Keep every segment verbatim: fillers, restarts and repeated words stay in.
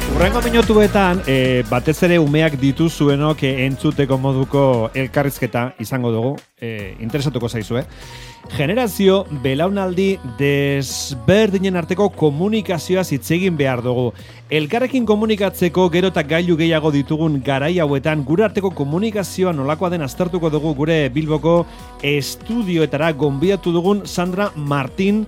Hurrengo minutuetan, e, batez ere umeak dituzuenok entzuteko moduko elkarrizketa izango dugu, e, interesatuko zaizue. Generazio belaunaldi desberdinen arteko komunikazioa hitz egin behar dugu. Elkarrekin komunikatzeko gero eta gailu gehiago ditugun garai hauetan, gure arteko komunikazioa nolakoa den aztertuko dugu gure Bilboko estudioetara gonbidatu dugun Sandra Martin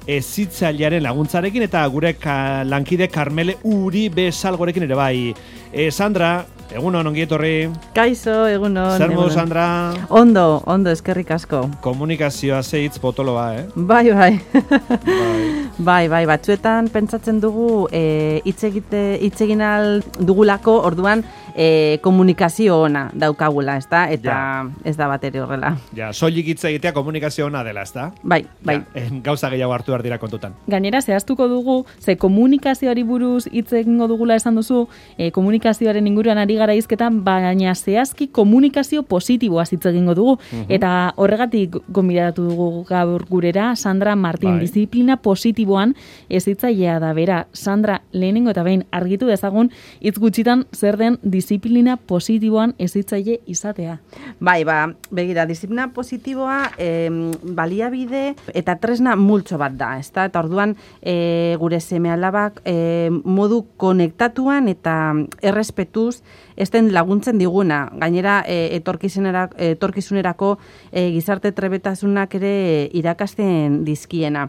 hezitzailearen laguntzarekin eta gure ka, lankide Karmele Uribe Salgorekin ere bai. E, Sandra, egunon, ongi etorri. Kaixo, egunon. Zer modu, Sandra? Ondo, ondo, eskerrik asko. Komunikazioa zeitz potoloa, eh? Bai, bai. bai. bai, bai, batzuetan pentsatzen dugu e, hitz egite hitz egin al dugulako, orduan e, komunikazio ona daukagula, ezta? Eta ja. Ez da bat ere horrela. Ja, soilik hitz egitea komunikazio ona dela, ezta? Bai, bai. Ja, gauza gehiago hartu behar dira kontutan. Gainera, zehaztuko dugu, ze komunikazioari buruz hitz egingo dugula esan duzu, e, komunikazioaren inguruan ari gara hizketan, baina zehazki komunikazio positiboa hitz egingo dugu. Uh-huh. Eta horregatik gonbidatu dugu gaur gurera, Sandra Martin, bai. Disiplina positiboan hezitzailea da bera. Sandra, lehenengo eta behin argitu dezagun, hitz gutxitan zer den disiplina positiboan hezitzaile izatea. Bai, ba, begira, disiplina positiboa eh, baliabide eta tresna multzo bat da, ezta? Eta orduan e, gure seme-alabak e, modu konektatuan eta errespetuz esten laguntzen diguna. Gainera, e, etorkizunerako, etorkizunerako e, gizarte trebetasunak ere irakasten dizkiena.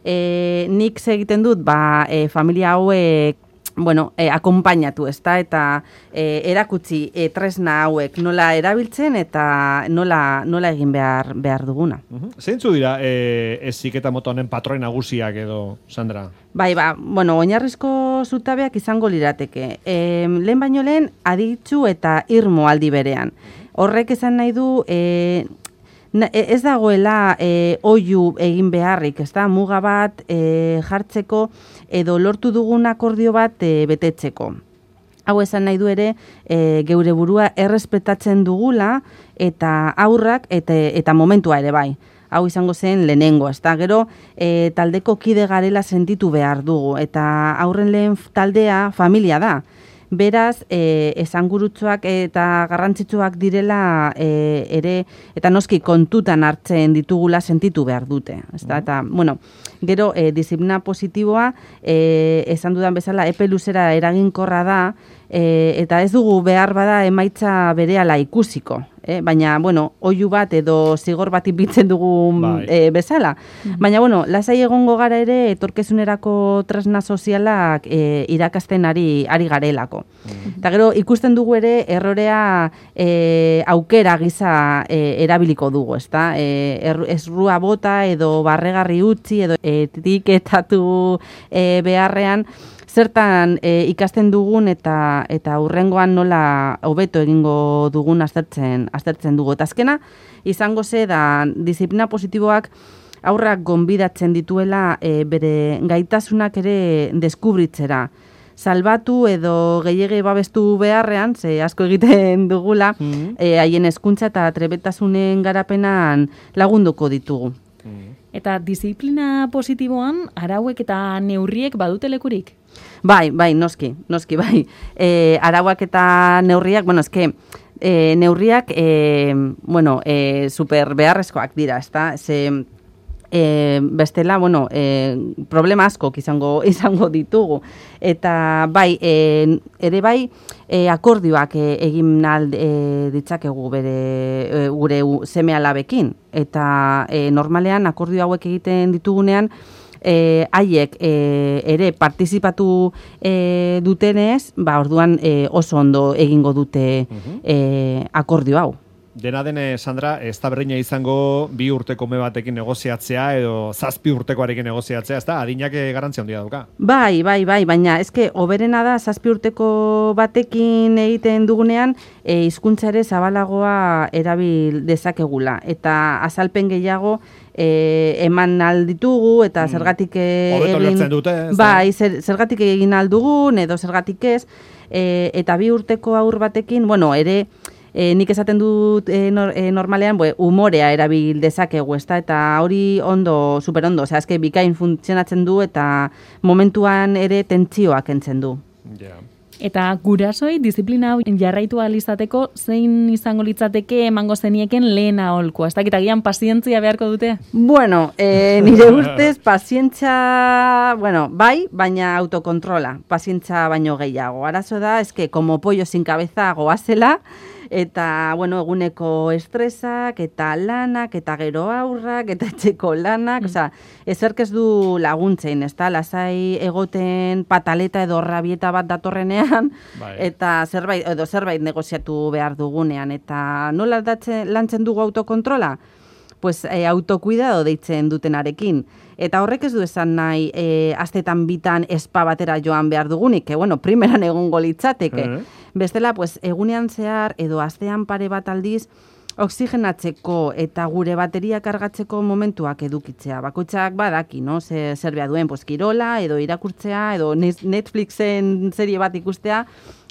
E, nik egiten dut, ba, e, familia hauek bueno, eh, akonpainatu, ezta, eta eh, erakutsi eh, tresna hauek nola erabiltzen eta nola, nola egin behar, behar duguna. Uh-huh. Zeintzu dira eh, heziketa mota honen patroi nagusiak edo, Sandra? Bai, ba, bueno, oinarrizko zutabeak izango lirateke. E, lehen baino lehen, aditzu eta irmo aldi berean. Horrek esan nahi du... E, Ez dagoela e, oihu egin beharrik, ez da, muga bat e, jartzeko edo lortu dugun akordio bat e, betetzeko. Hau esan nahi du ere, e, geure burua errespetatzen dugula eta aurrak eta, eta momentua ere bai. Hau izango zen lehenengo, ez da, gero e, taldeko kide garela sentitu behar dugu eta aurren lehen taldea familia da. Beraz, e, esangurutsuak eta garrantzitsuak direla e, ere, eta noski kontutan hartzen ditugula sentitu behar dute. Ezta? Eta, bueno, gero, e, disiplina positiboa, e, esan dudan bezala, epe luzera eraginkorra da, e, eta ez dugu behar bada emaitza berehala ikusiko. Eh, baina, bueno, oihu bat edo zigor bat ipintzen dugun bai. e, bezala. Mm-hmm. Baina, bueno, lasai egongo gara ere etorkizunerako tresna sozialak e, irakasten ari, ari garelako. Mm-hmm. Eta gero, ikusten dugu ere errorea e, aukera giza e, erabiliko dugu, ezta? E, er, esrua bota edo barregarri utzi edo etiketatu e, beharrean, zertan e, ikasten dugun eta eta hurrengoan nola hobeto egingo dugun aztertzen aztertzen dugu. Eta azkena izango ze da disiplina positiboak aurrak gonbidatzen dituela e, bere gaitasunak ere deskubritzera. Salbatu edo gehiegi babestu beharrean, ze asko egiten dugula, mm-hmm. e, haien hezkuntza eta trebetasunen garapenan lagunduko ditugu. Mm-hmm. Eta disiplina positiboan arauek eta neurriek badute lekurik? Bai, bai, noski, noski, bai. E, arauak eta neurriak, bueno, eske, e, neurriak, e, bueno, e, super beharrezkoak dira, ezta? Ze, e, bestela, bueno, e, problema asko izango, izango ditugu. Eta, bai, e, ere bai, e, akordioak e, egin al e, ditzakegu bere, e, gure seme-alabekin. Eta e, normalean akordio hauek egiten ditugunean, E, haiek e, ere partizipatu e, dutenez, ba, orduan e, oso ondo egingo dute uh-huh. e, akordio hau. Dena dene, Sandra, ez da berdina izango bi urteko ume batekin negoziatzea edo zazpi urtekoarekin negoziatzea, ez da? Adinak garrantzia handia dauka. Bai, bai, bai, baina eske oberena da zazpi urteko batekin egiten dugunean e, hizkuntza ere zabalagoa erabil dezakegula. Eta azalpen gehiago E, eman alditugu eta zergatik e, egin dute, bai, zer, zergatik egin aldugun edo zergatik ez e, eta bi urteko aur batekin, bueno, ere e, nik esaten dut e, nor, e, normalean bue, umorea erabil dezakegu, ezta? Eta hori ondo, super ondo, osea, eske bikain funtzionatzen du eta momentuan ere tentsioak entzen du. Ja. Eta gurasoi disiplina hau jarraitu ahal izateko zein izango litzateke emango zenieken lehen aholkua? Ez dakit agian pazientzia beharko dute? Bueno, eh, nire ustez pazientzia, bueno, bai, baina autokontrola, pazientza baino gehiago. Arazo da, eske, como pollo sin cabeza goazela, eta, bueno, eguneko estresak, eta lanak, eta gero aurrak, eta etxeko lanak, mm. osea, ezerk ez du laguntzein, ez da, lasai egoten pataleta edo rabieta bat datorrenean, bai. Eta zerbait, edo zerbait negoziatu behar dugunean, eta nola datzen, lantzen dugu autokontrola? Pues eh, autokuidado deitzen dutenarekin. Eta horrek ez du esan nahi eh, astetan bitan espa batera joan behar dugunik, que bueno, primeran egongo litzateke. Uh-huh. Bestela, pues, egunean zehar edo astean pare bat aldiz oxigenatzeko eta gure bateria kargatzeko momentuak edukitzea. Bakoitzak badaki, no? Zer, zer behar duen, pues, kirola, edo irakurtzea, edo Netflixen serie bat ikustea,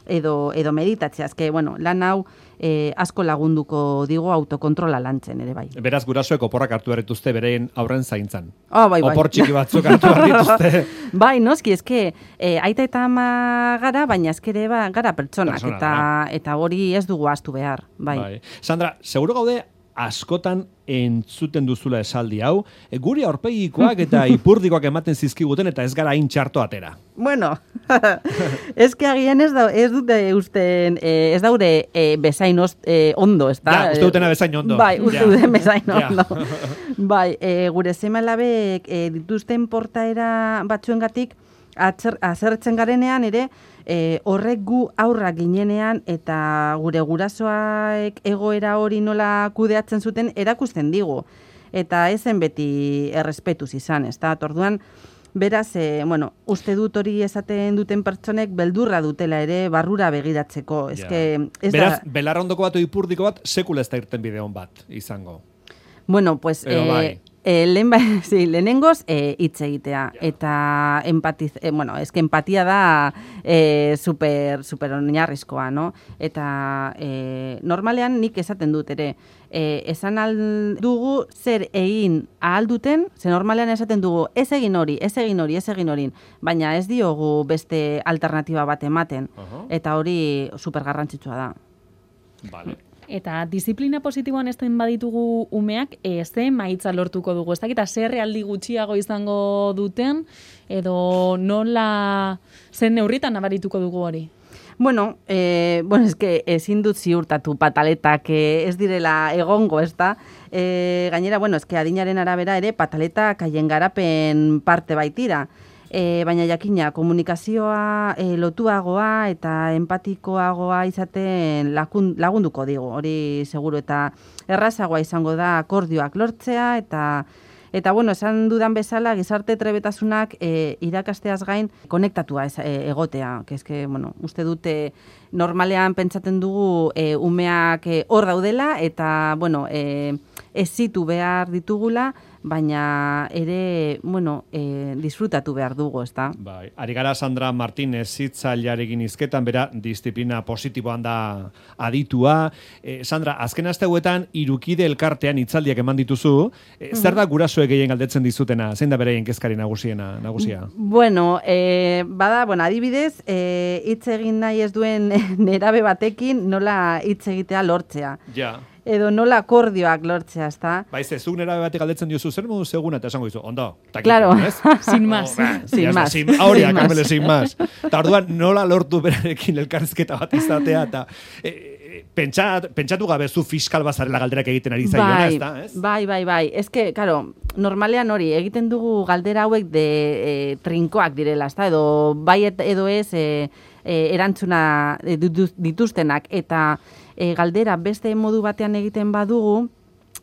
edo, edo meditatzea. Ezke, bueno, lan hau eh, asko lagunduko digo autokontrola lantzen ere bai. Beraz, gurasoek oporrak hartu berrituzte berein aurren zaintzan. Oh, bai, bai. Opor txiki batzuk hartu berrituzte. Bai, noski, eske, eh, aita eta ama gara, baina eskere ba, gara pertsonak, Persona, eta, bai. Eta hori ez dugu ahaztu behar. Bai. Bai. Sandra, seguro gaude askotan entzuten duzula esaldi hau, e, guri aurpegikoak eta ipurdikoak ematen zizkiguten eta ez gara hain txarto atera. Bueno, ez que agian ez, da, ez dute usten, eh, ez daure eh, bezain ost, eh, ondo, ez da? Ja, uste dutena bezain ondo. Bai, uste ja. duten bezain ondo. Bai, eh, gure seme-alabek eh, dituzten portaera batzuengatik azertzen garenean ere, E, horrek gu aurrak ginenean eta gure gurasoak egoera hori nola kudeatzen zuten erakusten digu. Eta ezen beti errespetuz izan, ez da? Orduan, beraz, e, bueno, uste dut hori esaten duten pertsonek beldurra dutela ere barrura begiratzeko. Ez que, ez beraz, da... belarrondoko bat o ipurdiko bat sekula ez da irten bideon bat izango. Bueno, pues... Edo, bai. eh, E, lehen ba, sí, lehenengoz e, hitz egitea, ja. Eta empatiz, e, bueno, eske empatia da e, super, super oinarrizkoa, no? Eta e, normalean nik esaten dut ere, e, esan aldugu zer egin ahalduten, ze normalean esaten dugu ez egin hori, ez egin hori, ez egin hori, baina ez diogu beste alternatiba bat ematen, uh-huh. Eta hori super garrantzitsua da. Vale. Eta disiplina positiboan ezten baditugu umeak, e, ze maitza lortuko dugu? Ez dakita, zer realdi gutxiago izango duten, edo nola zen neurritan nabarituko dugu hori? Bueno, eh, bueno, es que ezin dut ziurtatu pataletak eh, ez direla egongo, ez da? Eh, gainera, bueno, es que adinaren arabera ere pataletak haien garapen parte baitira. E, baina jakina, komunikazioa e, lotuagoa eta empatikoagoa izaten lakun, lagunduko digu, hori seguru, eta errazagoa izango da akordioak lortzea, eta, eta bueno, esan dudan bezala, gizarte trebetasunak e, irakasteaz gain konektatua ez, e, egotea, que eske, bueno, uste dute normalean pentsaten dugu e, umeak e, hor daudela, eta, bueno, e, ez zitu behar ditugula, baina ere, bueno, e, disfrutatu behar dugu, ez da? Bai, ari gara Sandra Martínez hitzailearekin hizketan, bera, disiplina positiboan da aditua. E, Sandra, azken asteuetan irukide elkartean hitzaldiak eman dituzu, e, mm-hmm. Zer da gurasoek gehien galdetzen dizutena? Zein da beraien kezkari nagusiena, nagusia? Bueno, e, bada, bueno, adibidez, e, hitz egin nahi ez duen nerabe batekin nola hitz egitea lortzea. Ja. Edo nola akordioak lortzea, ezta? Baiz, ez zuk nerabe batek galdetzen diozu, zer modu seguna, eta esango dizu, ondo, takik, claro. Ez? Sin más. Oh, bah, sin más. Sin, aurea, Carmele, sin más. Eta orduan, nola lortu berarekin elkarrizketa bat izatea, eta e, pentsat, pentsatu gabe zu fiskal bazarela galderak egiten ari zaiona, bai, ez da? Ez? Bai, bai, bai. Ez que, karo, normalean hori, egiten dugu galdera hauek de e, trinkoak direla, ezta? Edo bai edo ez e, e, erantzuna e, dituztenak, eta E, galdera beste modu batean egiten badugu,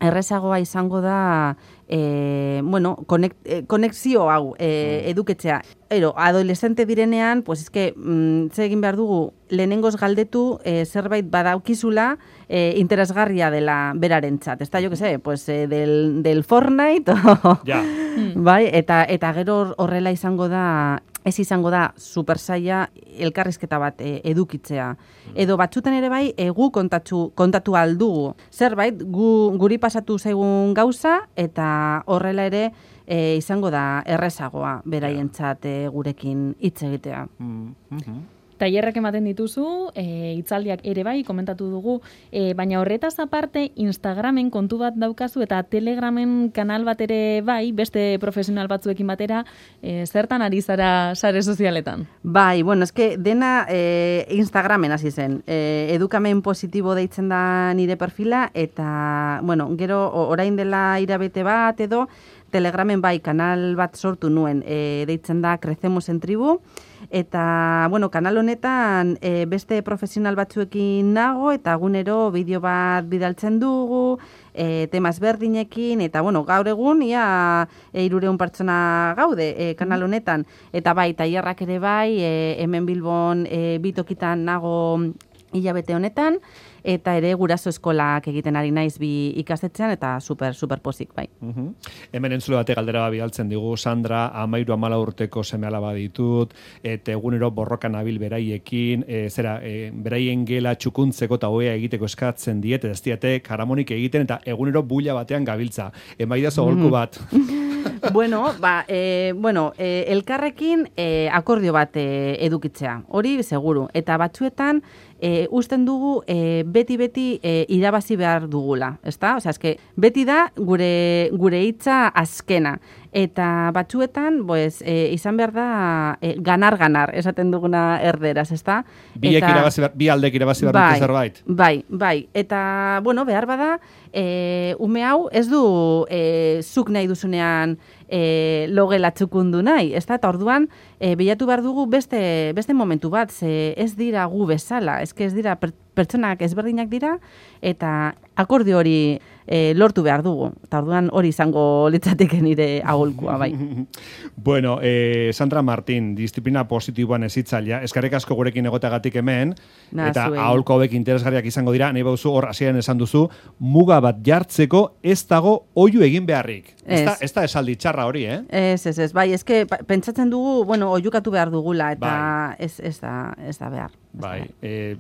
errezagoa izango da e, bueno, konek, e, konexio hau e, eduketzea. Ero, adolescente direnean, pues eske, mm, ze egin behar dugu, lehenengoz galdetu e, zerbait badaukizula e, interesgarria dela berarentzat. Ez da, jo que sé, pues, e, del, del Fortnite, ja. Bai, eta, eta gero horrela izango da, ez izango da supersaia elkarrizketa bat e, edukitzea. Edo batzutan ere bai, e, gu kontatu, kontatu aldugu. Zerbait, gu, guri pasatu zaigun gauza, eta horrela ere e, izango da errezagoa beraientzat e, gurekin hitz egitea. Mm-hmm. tailerrak ematen dituzu, e, hitzaldiak ere bai, komentatu dugu, e, baina horretaz aparte Instagramen kontu bat daukazu eta Telegramen kanal bat ere bai, beste profesional batzuekin batera, e, zertan ari zara sare sozialetan? Bai, bueno, eske dena e, Instagramen hasi zen. E, edukamen positibo deitzen da nire perfila eta, bueno, gero orain dela irabete bat edo, Telegramen bai kanal bat sortu nuen, e, deitzen da Crecemos en Tribu, eta, bueno, kanal honetan e, beste profesional batzuekin nago, eta egunero bideo bat bidaltzen dugu, e, tema ezberdinekin, eta, bueno, gaur egun, ia e, irureun pertsona gaude e, kanal honetan, eta bai, tailerrak ere bai, e, hemen Bilbon e, bitokitan nago hilabete honetan, eta ere guraso eskolak egiten ari naiz bi ikastetxean, eta super, super pozik, bai. Uh-huh. Hemen entzule bate galdera bidaltzen digu, Sandra, amairu amala urteko seme alaba ditut, eta egunero borrokan abil beraiekin, e, zera, e, beraien gela txukuntzeko eta oea egiteko eskatzen diet, eta ez diate karamonik egiten, eta egunero bulla batean gabiltza. Emaidazo golku bat. bueno, ba, e, bueno e, elkarrekin e, akordio bat e, edukitzea, hori seguru, eta batzuetan, E, usten dugu e, beti-beti e, irabazi behar dugula, ezta? Osea, eske beti da gure gure hitza azkena. Eta batzuetan, pues, e, izan behar da e, ganar-ganar, esaten duguna erderaz, ezta? Biek irabazi behar, bi aldek irabazi behar dute zerbait. Bai, bai. Eta, bueno, behar bada, e, ume hau ez du e, zuk nahi duzunean e, logela txukundu nahi, ezta? Eta orduan, e, bilatu behar dugu beste, beste momentu bat, ze ez dira gu bezala, ezke ez dira per, pertsonak ezberdinak dira, eta akordio hori e, lortu behar dugu. Eta orduan hori izango litzateke nire aholkua, bai. Bueno, eh, Sandra Martín, disiplina positiboan ezitzailea, eskarrik asko gurekin egotagatik hemen, Na, eta zuen. aholko hauek interesgarriak izango dira, nahi bauzu hor hasieran esan duzu, muga bat jartzeko ez dago oihu egin beharrik. Ez da, ez da esaldi txarra hori, eh? Ez, ez, ez, bai, eske pentsatzen dugu, bueno, oiukatu behar dugula, eta bai. ez, ez, da, ez da behar. Ez Bai, da behar. eh,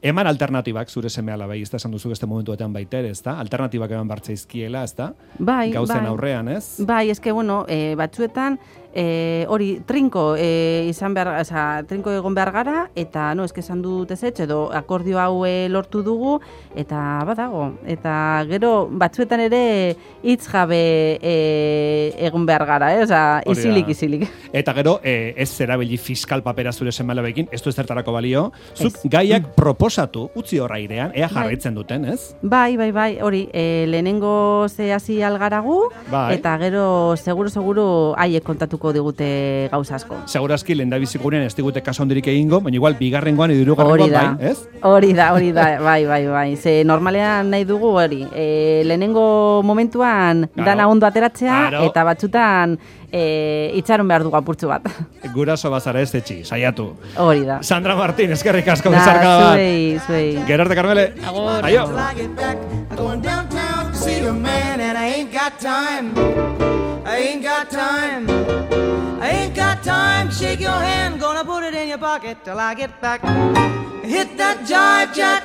eman alternatibak zure seme alabai, ez da esan duzu beste momentuetan baiter, ez da? Alternatibak eman bartzaizkiela, ez da? Bai, Gauzen bai. aurrean, ez? Bai, eske, bueno, e, batzuetan, e, hori, trinko e, izan behar, oza, trinko egon behar gara, eta, no, eske esan dut ez etxe, edo akordio hau e, lortu dugu, eta badago. Eta gero, batzuetan ere, hitz jabe e, egon behar gara, eh? Oza, isilik, isilik. Eta gero, e, ez zerabili fiskal papera zure seme alabekin, ez du ez zertarako balio, zuk gaiak proposatu, utzi horra irean, ea jarraitzen duten, ez? Bai, bai, bai, hori, e, lehenengo ze hasi algaragu, bai. Eta gero, seguro, seguro, haiek kontatuko digute gauza asko. Segurazki, lehen da bizigunean ez digute kaso hondirik egingo, baina igual, bigarrengoan edo hirugarrengoan bai, ez? Hori da, hori da, bai, bai, bai. Ze normalean nahi dugu hori, e, lehenengo momentuan Claro. dana ondo ateratzea, Claro. eta batzutan e, itxaron behar dugu apurtzu bat. Guraso bazara ez etxi, saiatu. Hori da. Sandra Martín, eskerrik asko Da, bezarka bat. zuei, zuei. Gerarte Carmele. Agur. Aio. I get back, I'm going downtown to see a man, and I ain't got time. I ain't got time. I ain't got time to shake your hand. Gonna put it in your pocket till I get back. Hit that jive jack.